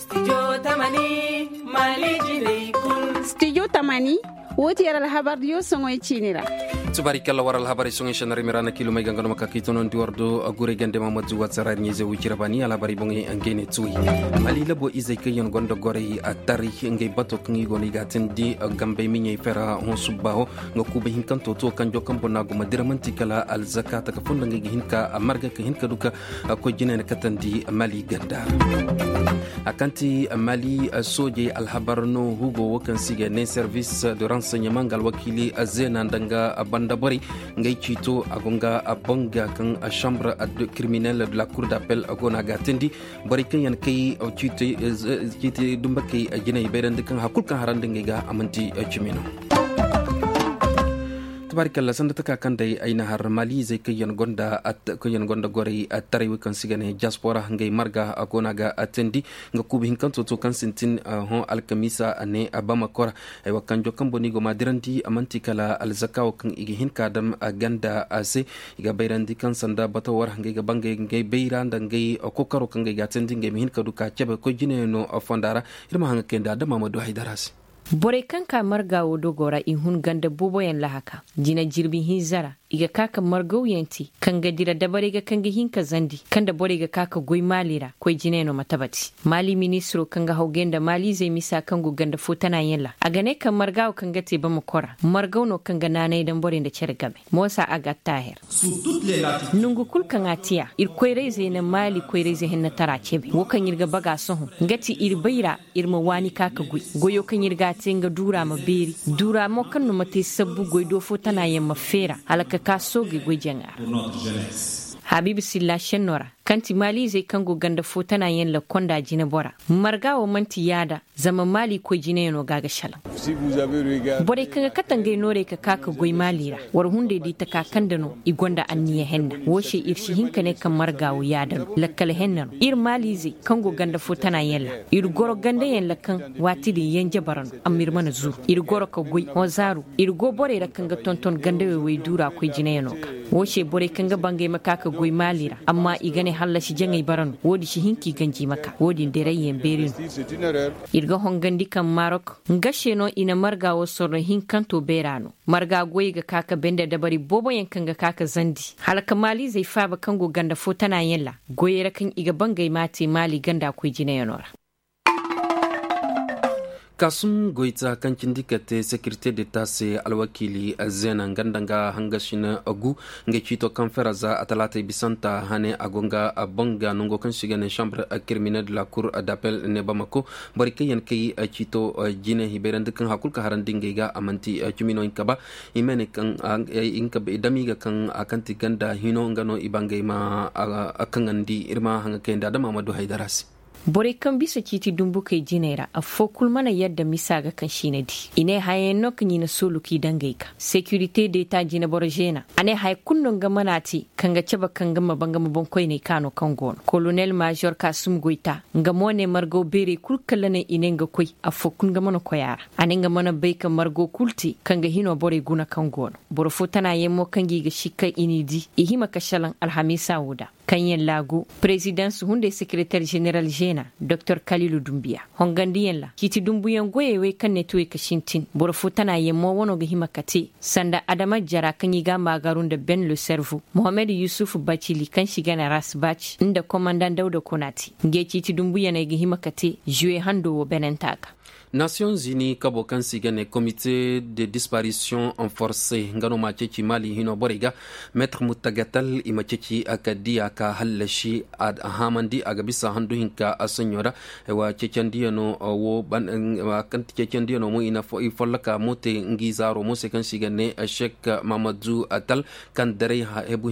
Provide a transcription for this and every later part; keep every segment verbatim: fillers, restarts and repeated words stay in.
Studio tamani, wo ti yar alhabar diyo soŋoy ciini ra. Tubaari kalla war alhabar soŋoy shanari mira na kiilumay ganga no ma ka kiitono ndi war do a guray gande ma matu wata ra ɲayze wucira baani alhabar boŋey ngey ne tuway. Mali labo izey kaŋ yaŋ gonda goray a taray ngey bato kaŋ i go no i ga tindi gambey miɲey fera hõ subba ho. Nga kuuba hinkanto to kanjo kaŋ boŋ no a go ma dira manti kala alzaka taka funda ngey ga hin ka marga ka hin ka du ka koy jinay na katandi mali ganda. A kaŋ ti mali soojey alhabar no hugo wo kaŋ se i ga ne service de renseignement nga alwakiili zeena nda nga banda borey. Ngey ciito a go nga banga kaŋ chambre criminel de la cour d'appel go no a ga tindi. Borey kaŋ yaŋ kay ciiti dumbakey jinay bayrandi kaŋ hari kulu kaŋ harandi ngey ga a manti cimi no. Tabaarikalla sanda taka kaŋ day ay na har mali izey kaŋ yaŋ gonda goray taray wo kaŋ se i ga ne diaspora ngey marga a go no a ga teendi. Nga kuuba hinkanto to kaŋ sintin hõ alkamiisa a ne bamako ra. Ay wa kanjo kaŋ boŋ no i go ma dirandi a manti kala alzaka wo kaŋ i ga hin ka dam ganda a se. I ga bayrandi kaŋ sanda bato war ngey ga bangay ngey bayra nda ngey kokaro kaŋ ngey ga teendi ngey ma hin ka du ka cabe koy jine no fonda ra. Iri ma haŋ ga kayndi adama ma du haydara se. Borey kaŋ ka marga wo dogo ra i hun ganda boobo yaŋ lahaka jina jirbi hinza ra. I ga ka ka margaw yaŋ te kaŋ ga dira dabarey ga kaŋ ga hin ka zandi kaŋ da borey ga ka ka goy maali ra koy jine no ma tabati. Maali ministiro kaŋ ga hawgay nda maaliizey misa kaŋ go ganda fo tana yaŋ ra a ga ne kaŋ marga wo kaŋ ga te bamako ra margaw no kaŋ ga naanay daŋ borey nda care game. Moosa a ga attaaher. Nangu kulu kaŋ a tiya iri koyrayzey na maali koyrayze hennatara cebe wo kaŋ iri ga baga sohõ nga ti iri bayra. Iri ma waani ka ka goy goyo kaŋ iri ga a te nga duura ma beeri duura mo kaŋ no ma te sabbu goy do fo tana yaŋ ma feera hala ka ka soogay goy jaŋa ra. Habiibu silla senno ra kaŋ ti maaliizey kaŋ go ganda fo tana yaŋ lakkonda jine bora. Marga wo manti yaada zama maali koy jine yaŋo ga a ga salaŋ. Borey kaŋ ga kate ngey noorey ka ka ka goy maali ra war hunday di taka kaŋ da no i gonda anniya henna wo se iri si hin ka ne kaŋ marga wo yaada no lakkal henna no iri maaliizey kaŋ go ganda fo tana yaŋ ra. Iri goro ganda yaŋ ra kaŋ waati din yanje bara no amma iri mana zuru iri goro ka goy hõ zaaru iri go borey ra kaŋ ga tonton ganda wey way duura koy jine yaŋo ga. Wo se borey kaŋ ga bangay ma ka ka goy maali ra amma i ga ne hallasi jaŋay bara no wo- din si hin ka i ganji ma ka wo- din deray yaŋ beeri no. Iri ga hongandi kaŋ marok nga se no i na marga wo sorro hinkanto beera no. Marga goyey ga ka ka bende dabari boobo yaŋ kaŋ ga ka ka zandi hala ka maaliizey faaba kaŋ go ganda fo tana yaŋ ra goyey ra kaŋ i ga bangay ma a te maali ganda koy jine yaŋo ra. Kaasum goyta kaŋ cindi ka te sekirite deta se alwakiili zeena nga nda nga hangasina gu. Ngey ciito kaŋ fera za a talaatey bisanta hane a go nga banga nango kaŋ se i ga ne chambre criminel de la cour d'appel ne bamako. Borey kaŋ yaŋ kay ciito jine i bayrandi kaŋ hari kulu kaŋ harandi ngey ga a manti cimi no hinka ba. I ma ne kaŋ dami ga kaŋ a kaŋ ti ganda hino nga no i bangay ma kaŋandi iri ma haŋ ga kayandi adama ma du haydara se. Borey kaŋ bisa ciiti dumbukey jiney ra afo kulu mana yadda misa ga kaŋ siina di i ne hayayaŋ no kaŋ i na soolu k'i dangey ga sekirite deeta jineboro zeena a ne haya kulu no nga mana te kaŋ ga cabe kaŋ ga ma ba nga ma boŋkoyney kaano kaŋ go no kolonel maazor kaasum goyta. Nga mo ne margaw beerey kulu kala ne i ne nga koy afo kulu nga mana koy a ra. A ne nga mana bay ka margo kulu te kaŋ ga hino borey guna kaŋ go no boro fo tana yaŋ mo kaŋ ga i ga sikka i n'i di i hima ka salaŋ alhamiisa wo da kaŋ yaŋ laagu. Perezidansi hunday sekereter zeneral zeena doktor kalilu dumbiya hongandiyaŋ ra ciiti dumbuyaŋ goyey wey kaŋ ne tuwey ka sintin boro fo tana yaŋ mo wano ga hima ka te sanda adama jara kaŋ i ga a maagaru nda ben le servo mohammed yusuf bacili kaŋ si gana rasbac nda komandan dawda konati. Ngey ciiti dumbuyaney ga hima ka te zuwe hando wo benenta ga. Nasiyoŋ zini kabo kaŋ se i ga ne komite de disparisiyoŋ forse nga no ma ceeci maali hino borey ga. Meetar muttagatal i ma ceeci a ka diya ka hallasi a haamandi a ga bisa handu hinka a soɲo ra. Ceecandiyano wo kaŋ ti ceecandiyano mo i folloka mo te ngi zaaro mo se kaŋ se i ga ne shek mamadu tal kaŋ daray hebu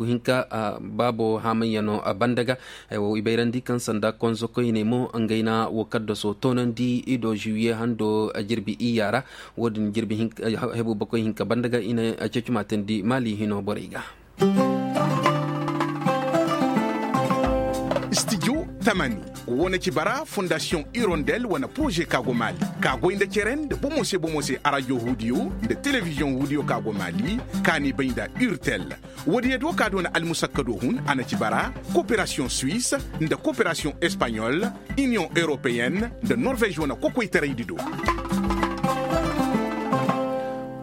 hinka baabo haamayyano banda ga. I bayrandi kaŋ sanda konzo koyne mo ngey na wo kaddaso toonandi i do zuwiye hando jirbi iyya ra. Wo- din jirbi hebu bakoy hinka banda ga i na ceeci maatandi maali hino borey ga. Studio Tamani, wo na ci bara fondasiyoŋ irondel wane poroze ka go maali, ka goy nda cere nda bomo se bomo se arajo huudiyo nda telebiziyoŋ huudiyo ka go maali, ka ni bay nda urtel. Wo- din ya do ka doona almusakkado hun a na ci bara, koperasiyoŋ suwis nda koperasiyoŋ espaɲol, iniyoŋ europeyenne nda norvez wane kokoytaraydi do.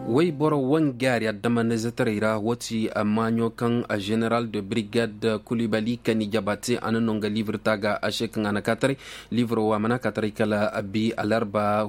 Wayboro wangaari addamanizetaray ra wo ti maaɲo kaŋ, general de brigade kulibali kani jaba te a na no nga liibir ta ga a se kaŋ a na ka taray. Liibiro wo a mana ka taray kala bi alarba.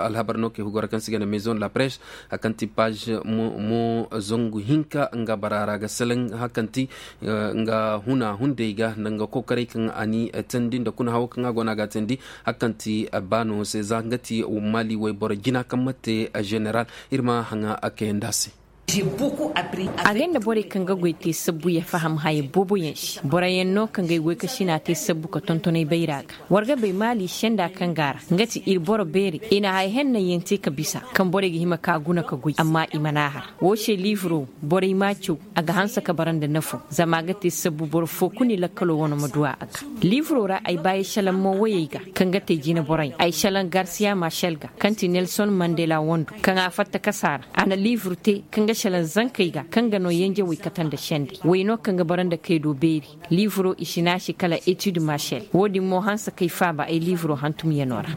Alhabar no kay hugora kaŋ se i ga ne maison de la presse, hari kaŋ ti page mo zangu hinka nga bara ra ga salaŋ hari kaŋ ti nga huna hunday ga nda nga kokoray kaŋ a ni teendi nda kuna hawo kaŋ a go no a ga a teendi. Hari kaŋ ti baano se za nga ti mali wayboro jina kaŋ mate, general iri ma haŋa a kayandi a se. Agay nda borey kaŋ ga goy te sabbu ya faham haya boobo yaŋ se boro yaŋ no kaŋ ga ay goy ka sina te sabbu ka tonton ay bayra ga. War ga bay maali senda kaŋ ga a ra nga ti iri boro beerey i na haya henna yaŋ te ka bisa kaŋ borey ga hima ka guna ka goy amma i mana a har. Wo se liiviro borey m'a caw a ga hanse ka bara nda nafo zama a ga te sabbu boro fo kulu ni lakkalo wane ma duw'a a ga. Liiviro ra ay ba ay salaŋ mo wayey ga kaŋ ga te jine borey ay salaŋ garsiya marsel ga kaŋ ti nelson mandela wando kaŋ a fatta kasa ra a na liivir te kaŋ ga salaŋ zankey ga kaŋ ga no yanjawey kate nda sendey way no kaŋ ga bara nda kay do beeri. Liiviro i si ne a se kala etid marsel wo- din mo hanse kay faaba ay liiviro hantumyano ra.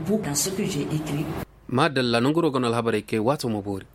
Maadalla nanguro ga no alhabarey kay waato ma boori.